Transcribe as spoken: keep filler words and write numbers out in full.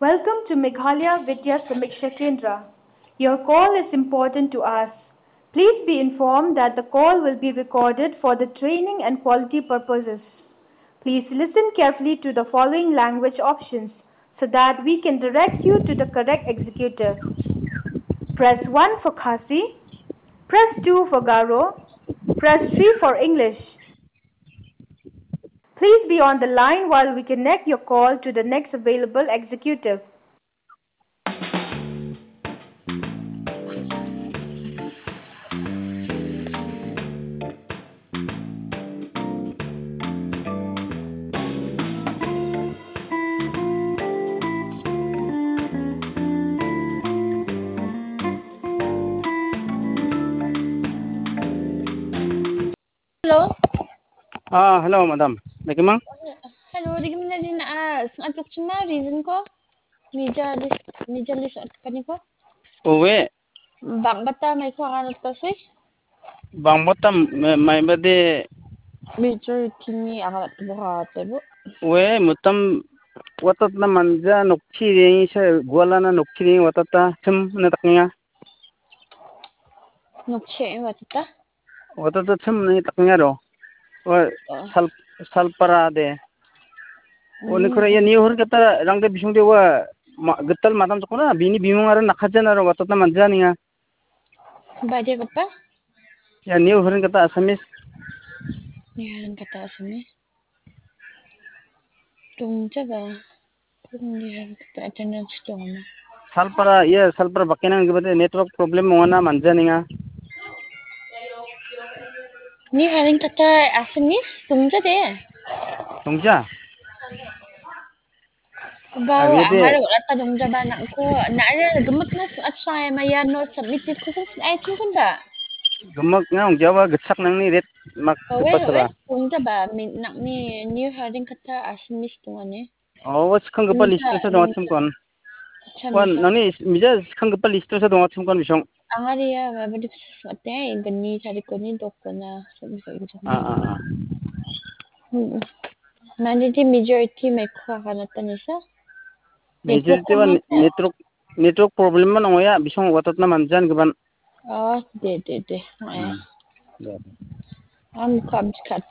Welcome to Meghalaya Vidya Samiksha Kendra. Your call is important to us. Please be informed that the call will be recorded for the training and quality purposes. Please listen carefully to the following language options so that we can direct you to the correct executive. Press one for Khasi, press two for Garo, press three for English. Please be on the line while we connect your call to the next available executive. Hello. Ah, hello, madam. Dake mang? Hello, dake mang, dake mang. Ah, sangat lukchima, reason ko? Mija list, mija list at kani ko? Owe. Bang bata mai ko angan at pasui? Bang bata mai, mai bade. Major timi angan at bo ha tebo. Owe, mutam watat na manja nokchi ring sa, guala na nokchi ring watat ta sem na taknya. Nokche watata? Watata chum ni taknya ro. Wa Oh. sal, salpara de. Wa ni Hmm. kore ya ni hor kata rang de bisung de wa ma, getal madam chakona bini bimung ara nakajan aro watata manja ninga. Bade kapa? Ya ni hor kata Assamese. Ni hor kata Assamese. Dongja ba. Ni hor kata attendance dongma. Salpara, iya, salpara bakenang gibate network problem mongana manja ninga. Ni haring kata Assamese dongja de. Dongja? Ba, Ari de. Amar ata dongja ba nangko. Na ada gemek na at saya maya no submitted ko sen ai chun kun ba. Gemek na dongja ba gechak nangni ret mak Kawe, kawe, sala. Dongja ba, min, nang ni, ni haring kata Assamese dongane. Oh, wa skanggipa Mija, list-o sa donga mija. Chimkon. Acha, wan, mija. Nangni mija skanggipa list-o sa donga chimkon bisong. Angari ya, ba, ba, dipsate, gani, tarikoni, dokona, so, so, so. Ah, ah, ah. Hmm. Mande di majority mai ko akan atan isa. Majority wan network, network problem man ongoya, bisong watat na manjan giban. Oh, de, de, de. Oh, ya. Hmm. De, de. Am kam kat